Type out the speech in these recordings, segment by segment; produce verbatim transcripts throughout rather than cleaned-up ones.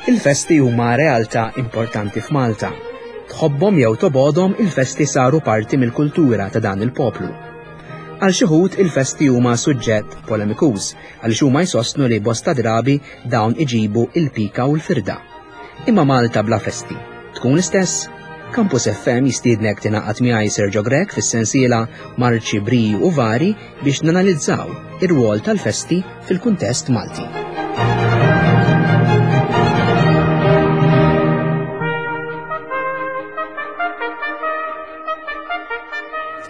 Il-festi huma realtà importanti f'Malta. Tħobbhom jew tobgħodhom, il-festi saru parti mill-kultura ta' dan il-poplu. Għal xi wħud il-festi huma suġġett polemikuż għaliex huma jsostnu li bosta drabi dawn iġibu il-pika u l-firda. Imma Malta bla festi tkun l-istess? Campus F M jistiednek tingħaqad miegħi, Sergio Grech, fis-sensiela Marċi, Briji u Vari biex nanalizzaw ir-rwol tal-festi fil-kuntest Malti.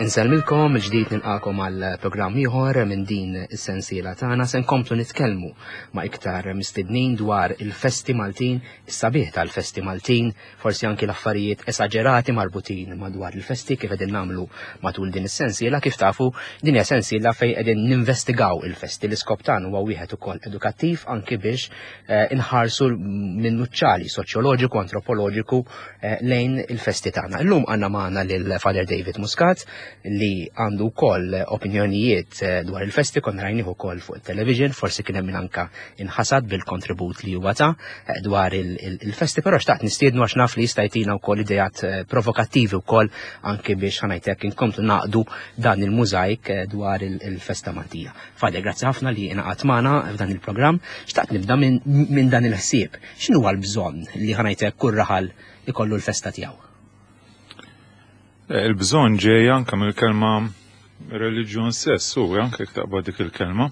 Insellmilkom, il-ġdid nilqagħkom għal programm ieħor minn din is-sensiela tagħna. Se nkomplu nitkellmu ma' iktar mistednin dwar il-festi Maltin, is-sabiħ tal-festi Maltin, forsi anki l-affarijiet esaġerati marbutin madwar il-festi, kif qegħdin nagħmlu matul din is-sensiela. Kif tafu, din hija sensiela fejn qegħdin ninvestigaw il-festi. L-iskop tagħna huwa wieħed ukoll edukattiv, anki biex eh, inħarsu minn nuċċali soċjoloġiku, antropoloġiku eh, lejn il-festi tagħna. Illum għandna magħna lil Father David Muscat, li għandu wkoll opinjonijiet eh, dwar il-festi. Konna rajnih ukoll fuq il-television, forsi kien hemm min anka inħasad bil-kontribut li huwa ta eh, dwar il-festi, però xtaqt nistiednu għax naf li jista' jtina wkoll ideat eh, provokattivi wkoll, anke biex, ħa ngħidlek, inkomplu naqdu dan il-mużajk dwar il-festa Maltija. Father, grazzi ħafna li ingħaqadt magħna f'dan il-programm. Xtaqt nibda minn dan il-ħsieb. X'inhu l-bżonn li, ħa ngħidlek, kull raħal ikollu l-festa tiegħu? Il-bżonn ġej anke mill-kelma reliġjon stess, u anke taqbad dik il-kelma.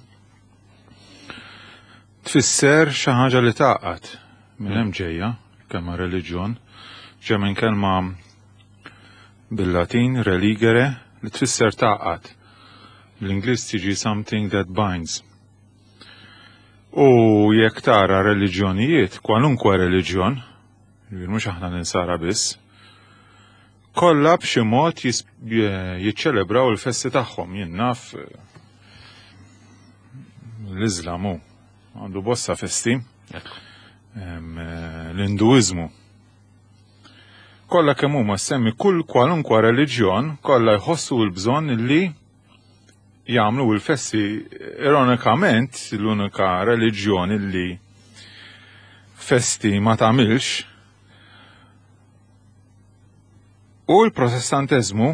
Tfisser xi ħaġa li tgħaqqad. Minn hemm ġejja kelma reliġjon. Ġej minn kelma bil-Latin religere, li tfisser tgħaqqad. Bl-Ingliż tiġi something that binds. U jekk tara reliġjonijiet, kwalunkwe reliġjon, mhux aħna l-Insara biss, kollha b'xi mod jiċċelebraw il-festi tagħhom. Jien naf l-Iżlamu għandu bosta festi, l-Induiżmu. Kollha kemm huma, semmi kull kwalunkwa reliġjon, kollha jħossu l-bżonn li jagħmlu l-festi. Ironikament, l-unika reliġjon li festi ma tagħmilx u l-Protestanteżmu,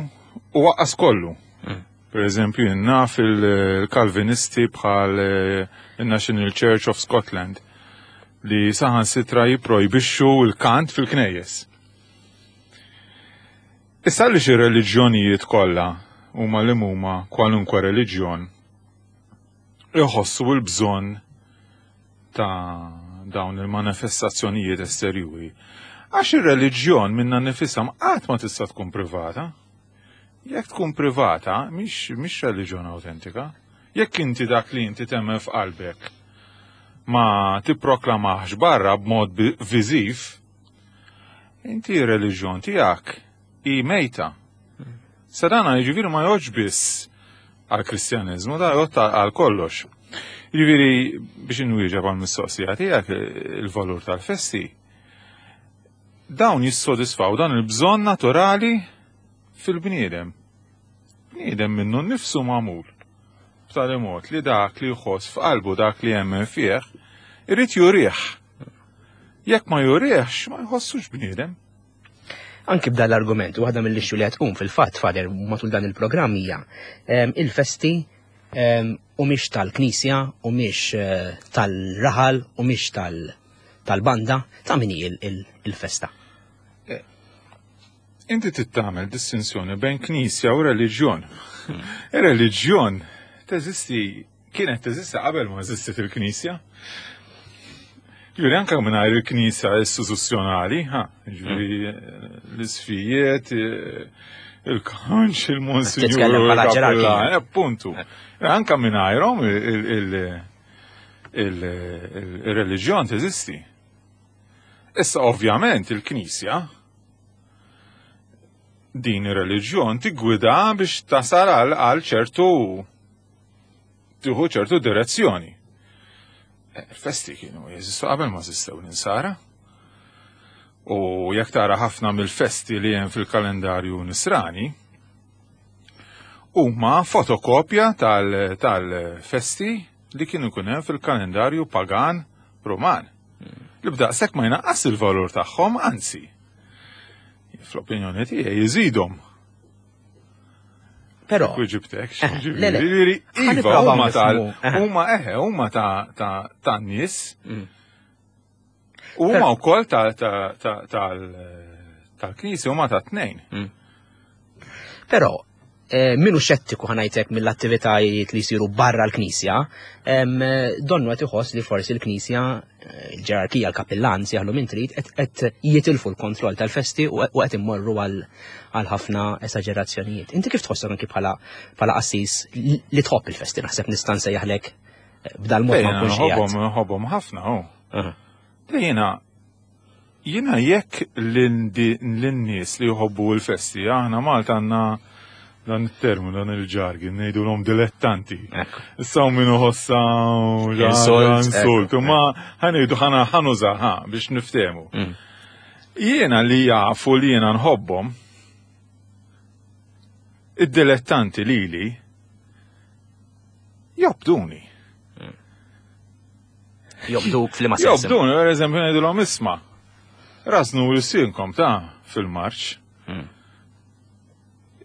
u waqqas kollu. Mm. Per eżempju, naf il-Kalvinisti bħal eh, il-National Church of Scotland li saħansitra jiprojbixxu l-kant fil-knejjes. Issa li xi reliġjonijiet kollha, huma li huma, kwalunkwe reliġjon, iħossu l-bżonn ta' dawn il-manifestazzjonijiet esterjuri. Għax ir-reliġjon minna nifisha qatt ma tista' tkun privata. Jekk tkun privata, mhix mhix reliġjon autentika. Jekk inti dak li inti temmen f'qalbek ma tipproklamax barra b'mod viżiv, inti reliġjon tiegħek hi mejta. Sadana jiġifieri ma jgħodx biss għal-Kristjaneżmu, da jgħod għal kollox. Jiġifieri biex inwieġeb għal mistoqsija tiegħek, il-valur tal-festi, dawn jissodisfaw dan il-bżonn naturali fil-bniedem. Bniedem minnu nnifsu magħmul b'tali mod li dak li jħoss f'qalbu, dak li jemmen fih, irid jurih. Jekk ma jurihx, ma jħossux bniedem. Anki b'dan l-argument, waħda mill-issue li tqum fil-fatt, Father, matul dan il-programm hija il-festi u mhix tal-Knisja u mhix eh, tal-raħal u mhix tal-banda, ta' min hi il-festa? Eh, inti tagħmel distinzjoni bejn Knisja u reliġjon. Hmm. Ir-reliġjon teżisti, kienet teżisti qabel ma eżistit il-Knisja. Ġifieri anke mingħajr il-Knisja istituzzjonali, ha, ġifieri hmm. l-isqfijiet, il-kanċ, il-monsinjur, appuntu. Anke mingħajrhom il-reliġjon teżisti. Issa ovvjament il-Knisja din ir-reliġjon tiggwida biex tasal għal ċertu, tieħu ċertu direzzjoni. Il-festi kienu jeżistu qabel ma eżistew l-Insara. U jekk tara ħafna mill-festi li hemm fil-kalendarju nisrani, huma fotokopja tal-festi li kienu jkun hemm fil-kalendarju pagan Roman. Li b'daqshekk ma jnaqqas il-valur tagħhom, anzi. Fl-opinjoni tiegħi jżidhom. Però Weġibtek, Eh, le, le. ġifieri, Ħa iva, nipprovaw huma tal, nifhmu, eh. huma eħe, huma ta' ta' ta' nies, Mm. huma wkoll ta' ta' ta' tal tal-knisja huma ta' tnejn. Però eh, minu xettiku, ħa ngħidlek, mill-attivitajiet li jsiru barra l-Knisja, em, donnu qed iħoss li forsi l-Knisja, eh, il-ġerarkija, l-kappillan, sejjaħlu min trid, qed- qed jitilfu l-kontroll tal-festi u u qed immorru għal għal ħafna esaġerazzjonijiet. Inti kif tħossok anki bħala bħala qassis li li tħobb il-festi, naħseb nista' nsejjaħlek eh, b'dal mod ma Jiena nkunx nħobbhom qiegħed. nħobbhom ħafna, oh. Aha. Jiena jiena jekk lin-nies li jħobbu l-festi, aħna Malta għandna dan it-termu, dan il-jargon, ngħidulhom dilettanti. Ekku. Issa min iħossha Insult, insult, ekku, ma ħa ngħidu ħana ħa nuża ħa biex niftehmu. Mm. Jiena li jafu li jiena nħobbhom, id-dilettanti lili jobduni. Jobduk f'liema sens. Jobduni, per eżempju, ngħidulhom isma'. Rażnu lsienkom ta' fil-marċ. Mm.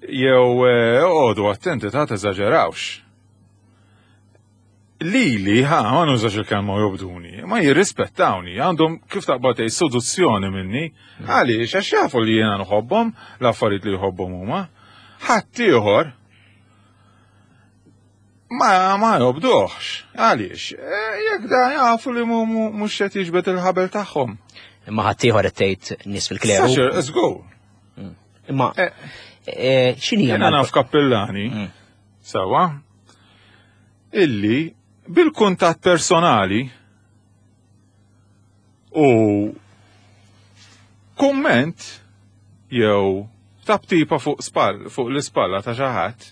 Jew eh, oqogħdu attenti ta' teżaġerawx. Lili, ha, ma nużax il-kelma jobduni, ma jirrispettawni, għandhom kif taqbad tgħid seduzzjoni minni, għaliex għax jafu li jiena nħobbhom, l-affarijiet li jħobbhom huma. Ħadd ieħor ma ma jobduhx. Għaliex? Eh, Jekk da jafu li mu- mu- mhux qed jiġbed il-ħabel tagħhom. Imma ħaddieħor qed tgħid nies fil-kleru. Saċer, let's go. Imma Eh, eh, x'inhi Jiena naf kappillani, Mm. sawa, illi bil-kuntatt personali u komment jew taptipa fuq spall, fuq l-ispalla ta' xi ħadd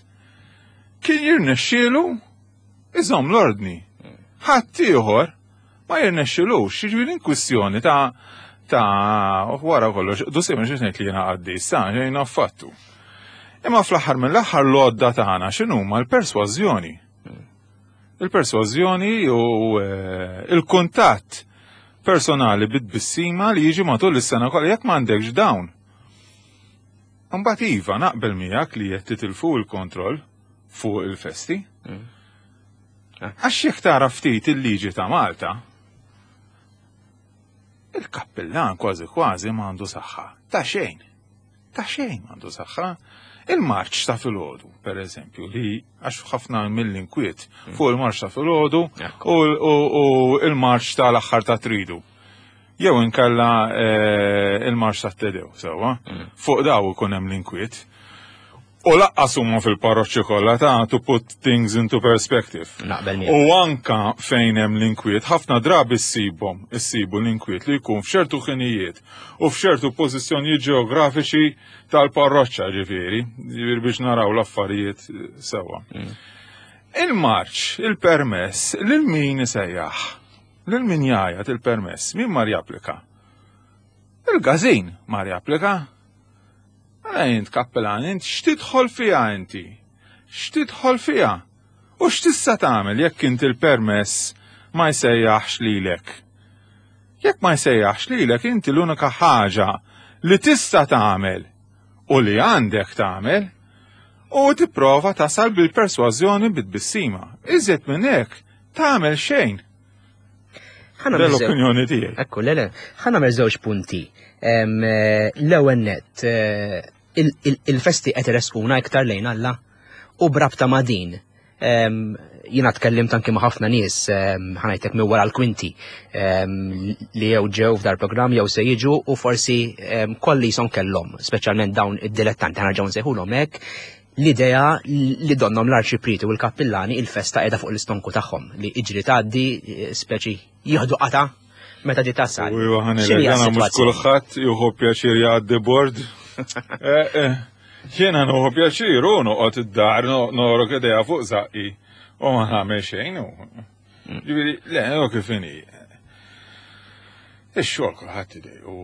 kien jirnexxielu iżomm l-ordni. Ħadd ieħor ma jirnexxilux, jiġifieri kwistjoni ta' ta' wara kollox, du sejma xi ngħid li jiena qaddis, sa jiena affattu. Imma fl-aħħar mill-aħħar l-għodda tagħna x'inhuma l-persważjoni. Il-persważjoni u eh, il-kuntatt personali bit-tbissima li jiġi matul is-sena kollha jekk m'għandekx dawn. Imbagħad iva naqbel miegħek li qed titilfu l-kontroll fuq il-festi. Mm. Għax jekk tara ftit il-liġi ta' Malta, il-kappillan kważi kważi m'għandu saħħa. Ta' xejn. Ta' xejn m'għandu saħħa. Il-marċ ta' filgħodu, per eżempju, li għax ħafna mill-inkwiet fuq il-marċ ta' filgħodu Ekku. u, u, u il-marċ tal-aħħar ta' tridu. Jew inkella eh, il-marċ ta' Te Deum, sewwa. Fuq daw ikun hemm l-inkwiet. U lanqas huma fil-parroċċi kollha ta' to put things into perspective. Naqbel miegħek. U anka fejn hemm l-inkwiet, ħafna drabi ssibhom, issibu l-inkwiet li jkun f'ċertu ħinijiet u f'ċertu pożizzjonijiet ġeografiċi tal-parroċċa ġifieri, ġifieri biex naraw l-affarijiet eh, sewwa. Il-marċ, il-permess, lil min isejjaħ, lil min jgħajat il-permess, min mar japplika? Il-gazin mar japplika. Għala int kappellan, int x'tidħol fiha inti? X'tidħol fiha? U x'tista' tagħmel jekk inti il-permess ma jsejjaħx lilek? Jekk ma jsejjaħx lilek inti l-unika ħaġa li tista' tagħmel u li għandek tagħmel u tipprova tasal bil-persważjoni bit-tbissima. Iżjed minn hekk tagħmel xejn. Ħa nagħmel żewġ- L-opinjoni tiegħi. Ekku, le, le, ħa nagħmel żewġ punti. Em, eh, L-ewwel net, eh, il- il- il-festi qed iressquna iktar lejn Alla u brabta ma' din. Em, Jiena tkellimt anki ma' ħafna nies, em, ħa ngħidlek minn wara l-kwinti em, li jew ġew f'dar programm jew se jiġu u forsi em, kolli jison kellhom, speċjalment dawn id-dilettanti ħa nerġgħu nsejħulhom hekk, l-idea li donnom l-arċipriti u l-kappillani il-festa qiegħda fuq l-istonku tagħhom li iġri tgħaddi eh, speċi jieħdu qata meta di tasal. U iva ħa ngħidlek, X'inhi għana mhux s-sitwazzjoni? kulħadd jieħu pjaċir jgħaddi bord. Eh, eh, Jiena nieħu pjaċir u noqgħod id-dar no- norok idea fuq zaqqi u ma nagħmel xejn. u- Ġifieri, le, u kif inhi. Ix-xogħol kulħadd idej u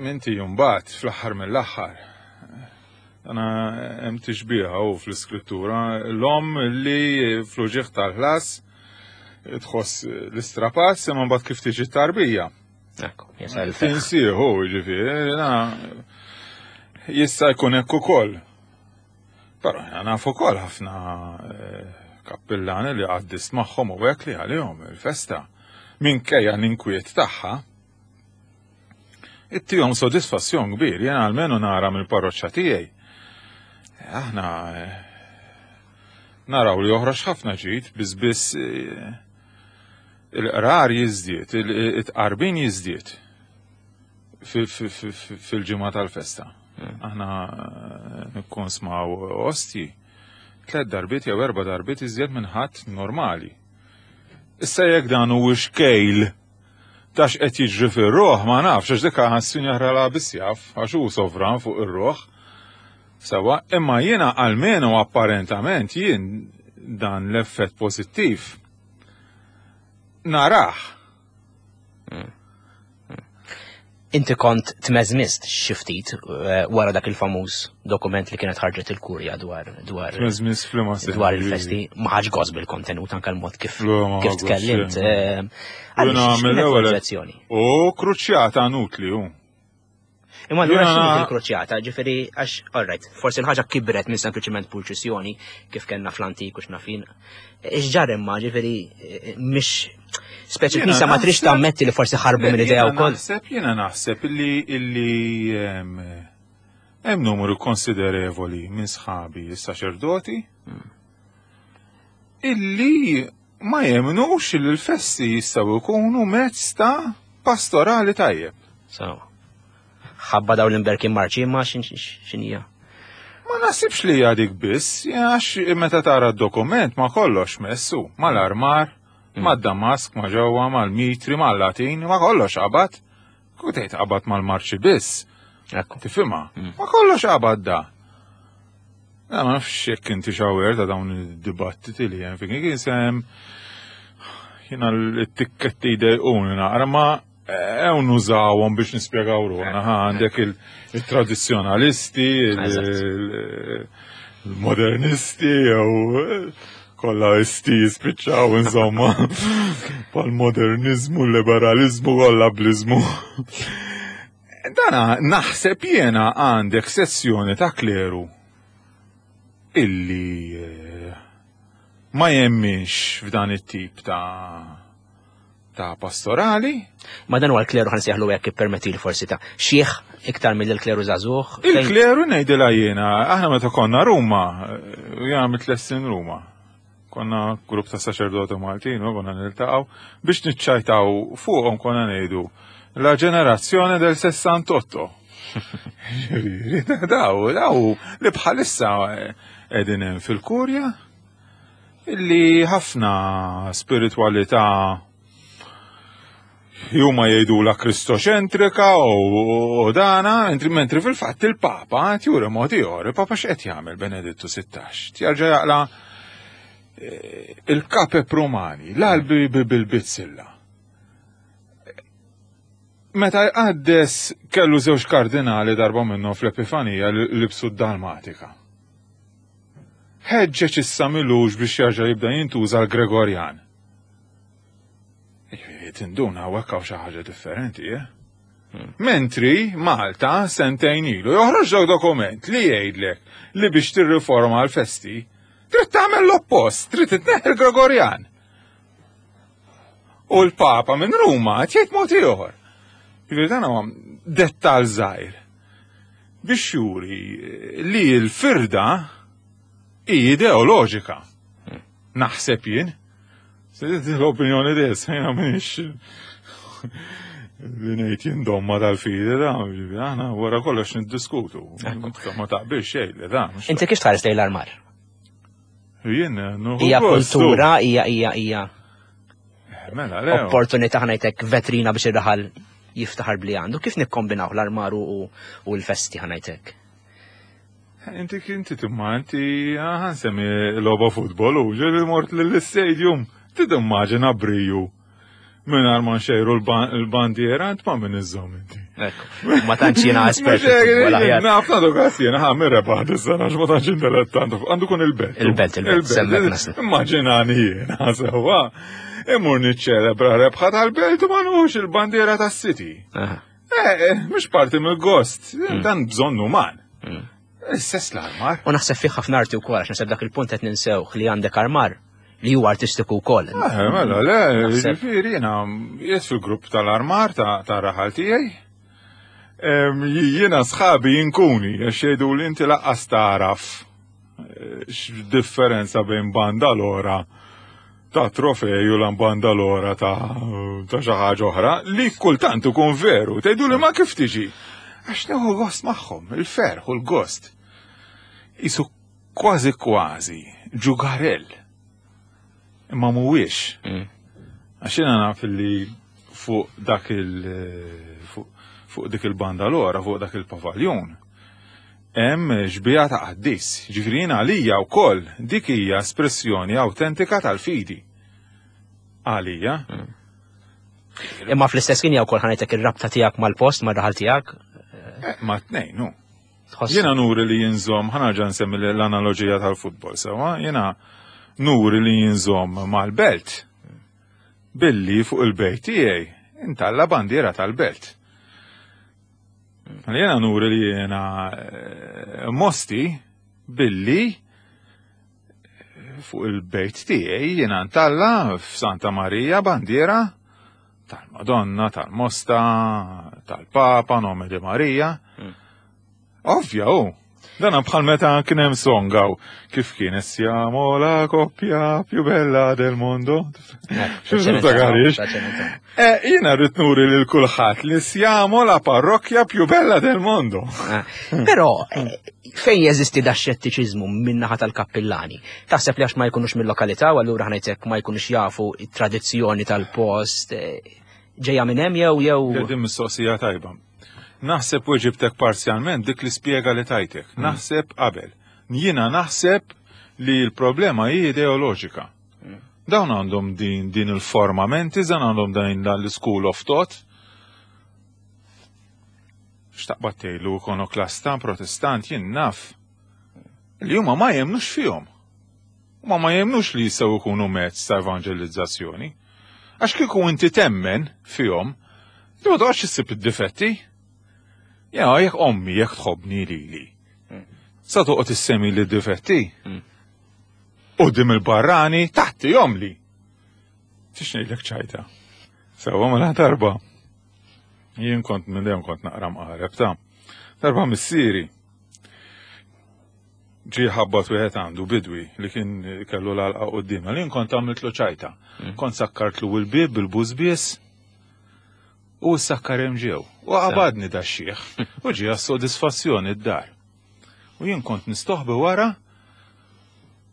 minti jumbat fl-aħħar mill-aħħar. Għana hemm tixbiha u fl-iskrittura l-om li fl-uġigħ tal-ħlas tħoss l-istrapazz imma mbagħad kif tiġi tarbija. Ekku, jasal il-ferħ. Tinsieħu, ġifieri, na, jista' jkun hekk ukoll. Però jiena naf ukoll ħafna eh, kappillani li għaddist magħhom u hekk li għalihom il-festa minkejja l-inkwiet tagħha. Ittihom sodisfazzjon kbir, jiena almenu nara mill-parroċċa tiegħi. Aħna eh, naraw li joħroġ ħafna ġid, biss biss eh, il-qrar jiżdied, il-tqarbin jiżdied fil-ġimgħa tal-festa. Aħna eh, nikkonsmaw ostji tliet darbiet jew erba' darbiet iżjed minn ħadd normali. Issa jekk dan huwiex kejl ta' x'qed jiġri fir-ruħ ma nafx għax dik ħassin jaħra biss jaf għax hu sovran fuq ir-ruħ. Sawa, imma jiena almenu apparentament jien dan l-effett pożittiv narah. Inti kont tmeżmist xi ftit eh, wara dak il-famuż dokument li kienet ħarġet il-kurja dwar dwar Tmeżmist f'liema sens. dwar il-festi, ma ħadx gost bil-kontenut anke l-mod kif Le, ma kif ħax gost tkellimt. xejn. eh, Għaliex Jiena x'kienet mill-ewwel- l-oġġezzjoni? U kruċjata nutli hu. Imma allura Jiena- x'inhi il-kruċjata, ġifieri għax all right, forsi l-ħaġa kibret minn sempliċement purċissjoni kif kellna fl-antik u x'nafin. X'ġar imma ġifieri eh, mhix speċi Jiena l-Knisja ma trix naħseb- tammetti li forsi ħarbu minn idea Jiena wkoll. Naħseb, jiena naħseb illi illi em, hemm numru konsiderevoli minn sħabi s-saċerdoti illi ma jemnux li l-festi jistgħu jkunu mezz ta' pastorali tajjeb. So, ħabba dawn l-imberkin marċi imma xin- xin- x'inhija. Ma nasibx li hija dik biss, għax meta tara d-dokument ma kollox messu, mal-armar, ma' damask, ma' ġewwa, mal-mitri, mal-Latin, ma kollox qabad. Kutejt qabad mal-marċi biss. Ekku. Tifhimha? Ma kollox qabad da. Na, ma nafx jekk inti xawer ta' dawn id-dibattiti li hemm fin kien sem jiena l-tikketti jdejquni naqra ma ew nużawhom biex nispjegaw ruħna. Ha, għandek il- il-tradizzjonalisti, il- Eżatt. il- il-modernisti, jew kollha isti jispiċċaw insomma. Pal-modernizmu, liberalizmu, kollha blizmu. Dana naħseb jiena għandek sessjoni ta' kleru illi eh, ma jemminx f'dan it-tip ta' ta' pastorali. Ma dan huwa l-kleru ħa nsejħlu hekk ippermetti li forsi ta' xieħ iktar mill-kleru żagħżugħ. fejn- Il-kleru ngħidilha jiena, aħna meta konna Ruma, eh, jiena mitles snin Ruma. Konna grupp ta' saċerdoti Maltin, u konna niltaqgħu biex niċċajtaw fuqhom konna ngħidu la ġenerazzjoni del sessantotto. Ġifieri, Daw, daw li bħalissa eh, qegħdin hemm fil-kurja illi ħafna spiritualità juma jgħidu la kristoċentrika u, u dana, mentri, mentri fil-fatt il-Papa juri mod ieħor, il-Papa x'qed jagħmel Benedittu sittax? Jarġa' jaqla eh, il-kape Romani, l-albi bil-bizzilla. Meta jqaddes kellu żewġ kardinali darba minnhom fl-Epifanija li libsu d-Dalmatika. Ħeġġeġ issa milux biex jarġa' jibda jintuża l-Gregorjan. Ġifieri, tinduna hawnhekk hawn xi ħaġa differenti, eh? Mentri Malta sentejn ilu joħroġ dak dokument li jgħidlek li biex tirriforma l-festi trid tagħmel l-oppost, trid titneħħi l-Gregorjan. U l-Papa minn Ruma qed jgħid mod ieħor. Ġifieri dan huwa dettal żgħir biex juri li l-firda hi ideoloġika. Naħseb jien. Se l-opinjoni des, jiena m'iniex li ngħid jien domma tal-fidi da, ġifieri, aħna wara kollox niddiskutu. Ma taqbilx xejn li da. mhux- Inti kif tħares lejn l-armar? Jien nieħu Hija gost, kultura, hija hija hija Mela, le. opportunità ħa ngħidlek vetrina biex ir-raħal jiftaħar bli għandu. Kif nikkombinaw l-armar u, u l-festi ħa ngħidlek? Inti inti timma inti ħa nsemmi logħba futbol u ġeli mort l-stadium. Tidimmaġina briju. Mingħajr ma nxejru l-bandiera, int ma' min iżżomm inti. Ekku, ma tantx jiena espert. Naf nagħtu każ jiena ħa min rebaħ dis-sena għax ma tantx intellettant. Għandu kun il-Belt. Il-Belt, il-Belt. Immaġinani jiena sewwa. Imur niċċelebra rebħa tal-Belt u ma nħux il-bandiera tas-City. Eh, mhux parti mill-gost, dan bżonn uman. Istess l-armar. U naħseb fih ħafna arti wkoll, għax naħseb dak il-punt qed ninsewh li għandek armar li huwa artistiku wkoll. Eh, mela, le, ġifieri jiena qiegħed fil-grupp tal-armar ta' raħal tiegħi. Jiena sħabi jinkuni, għax jgħidu li inti laqqas taraf x'differenza bejn banda l-ora ta' trofej u l-banda l-ora ta' xi ħaġa oħra li kultant ikun veru. Tgħidu li ma kif tiġi? Għax nieħu gost magħhom, il-ferħ u l-gost. Isu kważi kważi ġugarell. Imma mhuwiex. Għax jiena naf li fuq dak il fuq dik il-banda l-ora, fuq dak il-pavaljon, hemm xbieha ta' qaddis. Ġifieri jiena għalija wkoll dik hija espressjoni awtentika tal-fidi. Għalija. Imma fl-istess kien jew wkoll ħanejtek ir-rabta tiegħek mal-post, mar-raħal tiegħek. Ma tnejn, nu. Jiena nuri li jinżomm, ħa nerġa' nsemmi l-analoġija tal-futbol, sewwa, jiena nuri li jinżomm mal-belt billi fuq il-bejt tiegħi intalla bandiera tal-belt. Jiena nuri li jiena Mosti billi fuq il-bejt tiegħi jiena ntalla f'Santa Marija bandiera tal-Madonna, tal-Mosta, tal-Papa, nome di Marija. Ovvja, u. Dana bħal meta kien hemm songaw kif kien siamo la coppia più bella del mondo. Xi Eh, jiena rrid nuri lil kulħadd li siamo la parrocchia più bella del mondo. Però fejn jeżisti da xettiċiżmu min-naħa tal-kappillani? Taħseb li għax ma jkunux mill-lokalità u allura ħanejtek ma jkunux jafu it-tradizzjoni tal-post ġejja minn hemm jew jew. Din mistoqsija tajba. Naħseb weġibtek parzjalment dik li spjega li tajtek. Naħseb qabel. Jiena naħseb li l-problema hi ideoloġika. Dawn għandhom din, din il-formamenti, dan għandhom din l-school of thought. Xtaqbad tgħidlu ikonoklasta, protestant, jien naf. Li huma ma jemnux fihom. Huma ma jemnux li jistgħu jkunu mezz ta' evangelizzazzjoni. Għax kieku inti temmen fihom, li ma toqgħodx issib id-difetti. Ja, jekk ommi, jekk tħobbni lili. Sa toqgħod issemmi li difetti. Quddiem il-barrani taħti jomli. Tix ngħidlek ċajta. Sewwa mela darba. Jien kont minn dejjem kont naqra mqareb ta' darba missieri. Ġi ħabbat wieħed għandu bidwi li kien kellu l-għalqa quddiem. Li kont għamiltlu ċajta. Kont sakkartlu l-bieb bil-bużbies u s-sakkar hemm ġew. U qabadni da xieħ. U ġie għas-sodisfazzjoni d-dar. U jien kont nistoħbi wara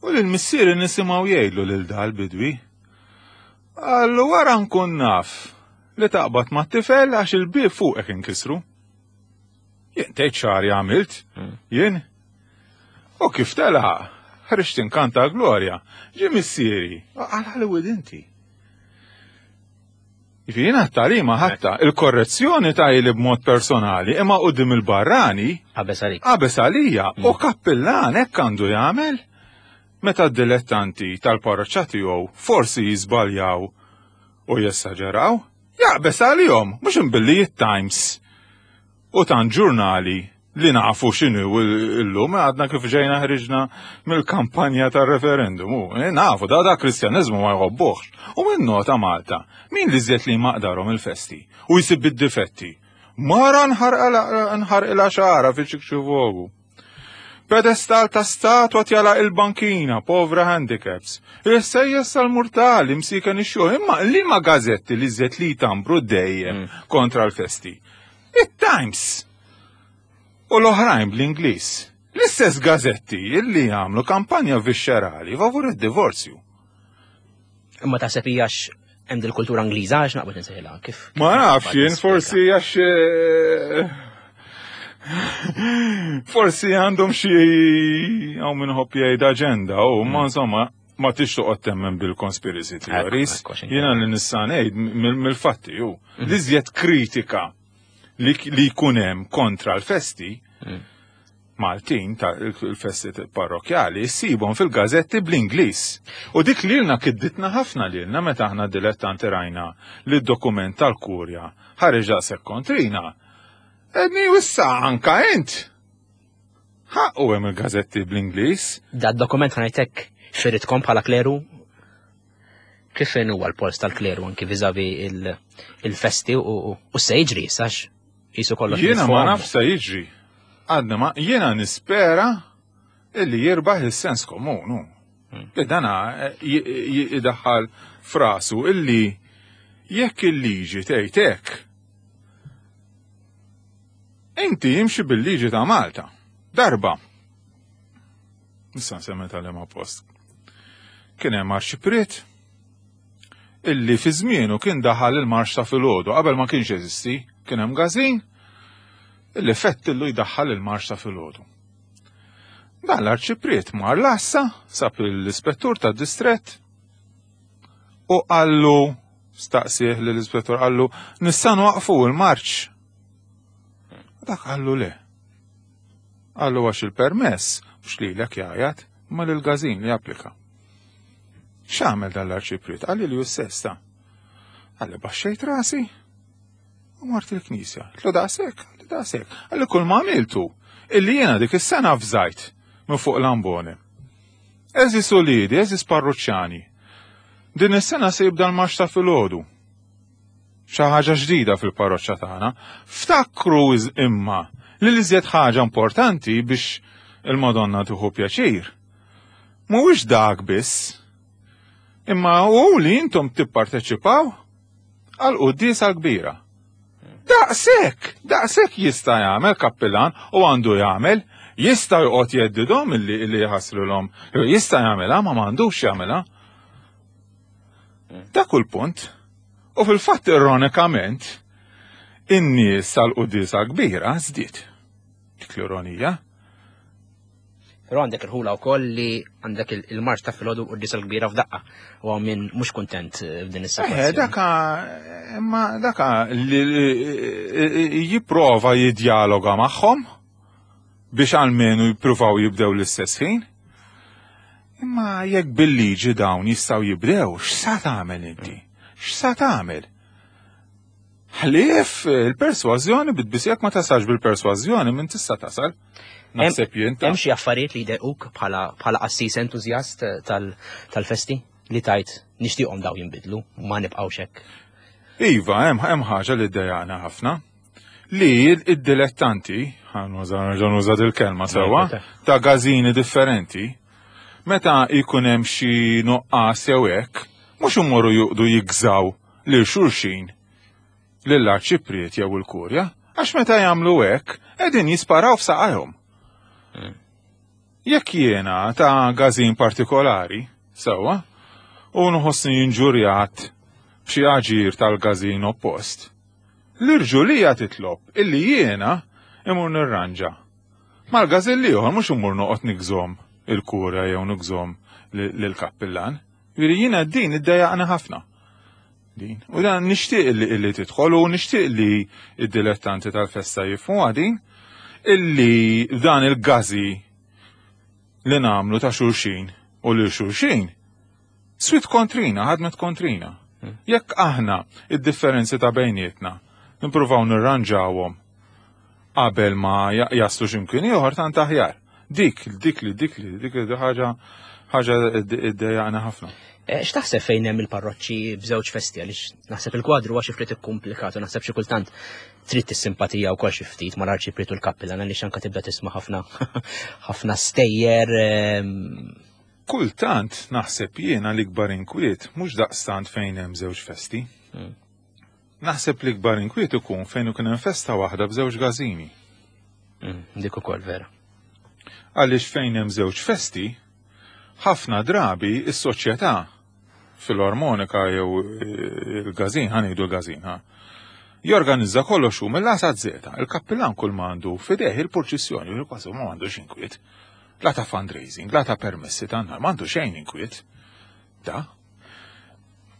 u lil missieri nisimgħu jgħidlu lil dal bidwi. Allu wara nkun naf li taqbad ma' tifel għax il-bieb fuqek inkisru. Jien tgħid xahar għamilt, jien. U kif tela, ħriġt inkanta glorja, ġie missieri, għal Hollywood inti. Jiena t-talima ħatta il-korrezzjoni ta' li b'mod personali imma quddiem il-barrani Qabeż għalik. Qabeż għalija u kappillan hekk għandu jagħmel. Meta d-dilettanti tal-parroċċa tiegħu forsi jiżbaljaw u jessaġeraw, jaqbeż għalihom mhux imbilli it-Times u tant ġurnali li nafu x'inhu illum għadna kif ġejna ħriġna mill-kampanja tar-referendum. U nafu da da Kristjaniżmu ma jħobbuhx. U minn nota Malta, min li żied li maqdarhom il-festi u jsib id-difetti. Mara nħarqilha xara fi ċikċivogu. Pedestal ta' statwa tjala il-bankina, povra handicaps. Il-sejjes tal-murtali msiken ix-xogħol, imma li ma gazetti li żied li tambru dejjem kontra l-festi. It-Times. U l-oħrajn bl-Ingliż. L-istess gazetti illi jagħmlu kampanja viscerali favur id-divorzju. Imma taħseb hija hemm dil-kultura Ingliża għax naqbad insejħilha kif. Ma nafx jien forsi għax forsi għandhom xi hawn min ħobb jgħid aġenda u ma insomma Ma tix toqgħod temmen bil-conspiracy theories. Jiena li nista' ngħid mill-fatti ju. Mhm. L-iżjed kritika li jkun hemm kontra l-festi mm. Maltin ta' il-festi parrokjali ssibhom fil-gazetti bl-Ingliż. U dik lilna kidditna ħafna lilna meta aħna dilettanti rajna li d-dokument tal-kurja ħareġ daqshekk kontrina. Edni issa anka int. Ħaqqu hemm il-gazetti bl-Ingliż. Da dokument ħa ngħidlek firitkom bħala kleru? Kif huwa l-post tal-kleru anki viżavi il-festi u se jiġri sax jisu kollox. Jiena ma naf se jiġri. Għadna ma jiena nispera illi jirbaħ il-sens komun. Hmm. Li dana eh, jidaħħal frasu illi jekk il-liġi tgħid hekk. Inti jimxi bil-liġi ta' Malta. Darba. Nista' nsemmi tal post. Kien hemm arċipriet illi fi żmienu kien daħal il-marx ta' filgħodu qabel ma kienx jeżisti, kien hemm gażin illi fettillu jdaħħal il-marx ta' filgħodu. Dan l-arċipriet mar l-assa, sab l-ispettur ta' distrett u qallu, staqsih l-ispettur qallu, nista' nwaqfu l-marċ. Dak qallu le. Qallu għax il-permess, mhux lilek jgħajat, ma lil-gazin li applika. X'għamel dan l-arċipriet? Qalli li sesta. Qalli baxxejt rasi u mort il-knisja. Tlu daqshekk, qalli daqshekk. Qalli kull ma għamiltu illi jiena dik is-sena fżajt minn fuq l-ambone. Eżis uliedi, eżis parruċċani. Din is-sena se jibda l-marx ta' filgħodu. Xi ħaġa ġdida fil-parroċċa tagħna. Ftakru imma li l-iżjed ħaġa importanti biex il-Madonna tieħu pjaċir. Mhuwiex dak biss, imma hu li intom tipparteċipaw għal quddiesa l-kbira. Daqshekk, daqshekk jista' jagħmel kappillan u għandu jagħmel, jista' joqgħod jeddidhom illi illi jħassrulhom, jista' jagħmilha ma m'għandux jagħmilha. Dak hu l-punt. U fil-fatt ironikament, in-nies tal-quddiesa kbira żdied. Dik l-ironija. Però għandek il-ħula wkoll li għandek il-marċ ta' filgħodu u d-disa l-kbira f'daqqa u għaw min mhux kuntent f'din is-sitwazzjoni. Eh, daka, imma daka li jipprova jidjaloga magħhom biex almenu jippruvaw jibdew l-istess ħin. Imma jekk bil-liġi dawn jistgħu jibdew, x'sa tagħmel inti? X'sa tagħmel? Ħlief il-persważjoni bit-tbisijak ma tasalx bil-persważjoni minn tista' tasal. Naħseb jien ta' Hemm xi affarijiet li jdejquk bħala bħala qassis entużjast tal-festi li tajt nixtieqhom daw jinbidlu u ma nibqgħux hekk. Iva, hemm hemm ħaġa li ddejjaqna ħafna. Li id-dilettanti, ħa nuża il-kelma sewwa, ta' gażini differenti, meta jkun hemm xi nuqqas jew hekk, mhux imorru juqdu jigżaw lil xulxin lill-arċipriet jew il-kurja, għax meta jagħmlu hekk qegħdin jisparaw f'saqajhom. Jekk jiena ta' gażin partikolari, sewwa, u nħossni inġurjat b'xi aġir tal-gażin oppost, l-irġulija titlob illi jiena imur nirranġa. Mal-gażin l-ieħor mhux imur noqgħod nigżom il-kurja jew nigżom lill-kappillan. Jiġifieri jiena din iddejjaqna ħafna. Din. U dan nixtieq illi illi tidħol u nixtieq li id-dilettanti tal-festa jifhmu din illi dan il-gażi li nagħmlu ta' xulxin u lil xulxin swit kontrina, ħadmet kontrina. Jekk aħna id-differenzi ta' bejnietna nippruvaw nirranġawhom qabel ma jaslu x'imkien ieħor tant aħjar. Dik, dik li dik li dik li ħaġa ħaġa iddejjaqna ħafna. X'taħseb fejn hemm il-parroċċi b'żewġ festi għaliex naħseb il-kwadru huwa xi ftit ikkumplikat u naħseb xi kultant trid tissimpatija wkoll xi ftit mal-arċipriet u l-kappillan għaliex anke tibda tisma' ħafna ħafna stejjer. Kultant naħseb jiena l-ikbar inkwiet mhux daqstant fejn hemm żewġ festi. Naħseb l-ikbar inkwiet ikun fejn ikun hemm festa waħda b'żewġ gażini. Dik ukoll vera. Għaliex fejn hemm żewġ festi, ħafna drabi is-soċjetà fil-armonika jew il-gazin, ħa ngħidu l-gazin, ha. Jorganizza kollox hu mill-A sa Z. Il-kappillan kull ma għandu fideh il-purċissjoni, u kważi ma għandu inkwiet. La ta' fundraising, la ta' permessi ta' nar, ma għandu xejn inkwiet. Ta'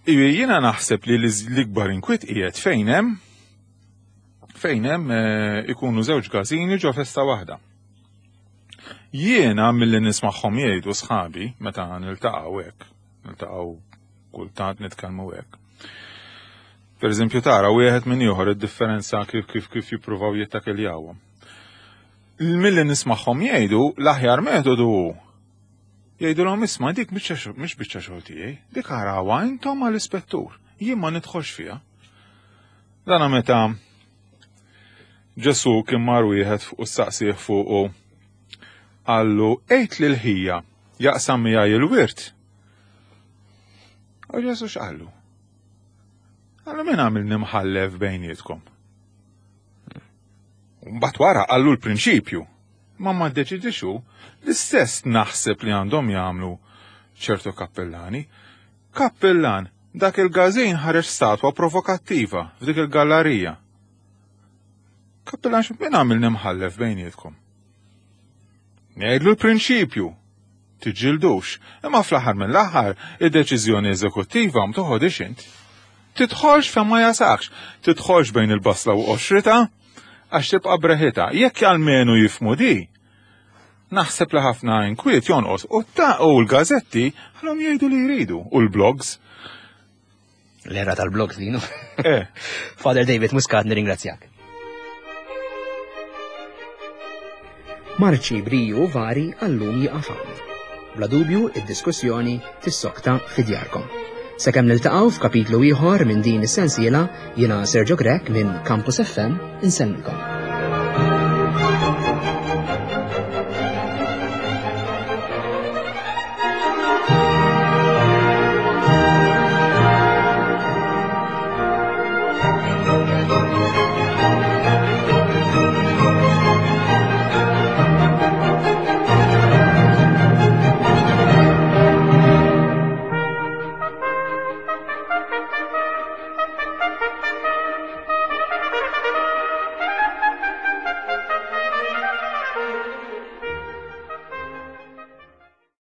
Jiena naħseb li l-ikbar inkwiet qiegħed fejn hemm fejn hemm eh, ikunu żewġ każini ġo festa waħda. Jiena milli nismagħhom jgħidu sħabi meta niltaqgħu hekk, niltaqgħu kultant nitkellmu hekk. Per eżempju tara wieħed minn ieħor id-differenza kif kif kif jippruvaw jittakiljawhom. Milli nismagħhom jgħidu l-aħjar metodu hu jgħidulhom isma' dik mhix biċċa xogħol tiegħi, dik arawha intom għall-ispettur, jien ma nidħolx fiha. Dana meta Ġesu kien mar wieħed u saqsih fuqu qallu għid lil ħija jaqsam miegħi il-wirt. U Ġesu x'qallu? Qallu min għamilni mħallef bejnietkom. Mbagħad wara qallu l-prinċipju. Ma ma ddeċidix hu, l-istess naħseb li għandhom jagħmlu ċertu kappellani. Kappellan, dak il-gazin ħareġ statwa provokattiva f'dik il-gallerija. Kappellan, min għamilni mħallef bejnietkom? Ngħidlu l-prinċipju, tiġġildux, imma fl-aħħar mill-aħħar id-deċiżjoni eżekuttiva ma toħodix int. Tidħolx fejn ma jasakx, tidħolx bejn il-basla u qoxrita, għax tibqa' breħita. Jekk almenu jifmu di, naħseb li ħafna inkwiet jonqos. U ta' u l-gazetti ħallhom jgħidu li jridu u l-blogs. L-era tal-blogs dinu. Eh. Father David Muscat, nirringrazzjak. Marċi briju vari għallum jieqaf hawn. Bla dubju, id-diskussjoni tissokta fi djarkom. Sakemm niltaqgħu f'kapitlu ieħor minn din is-sensiela, jiena Sergio Grech minn Campus F M insellmilkom.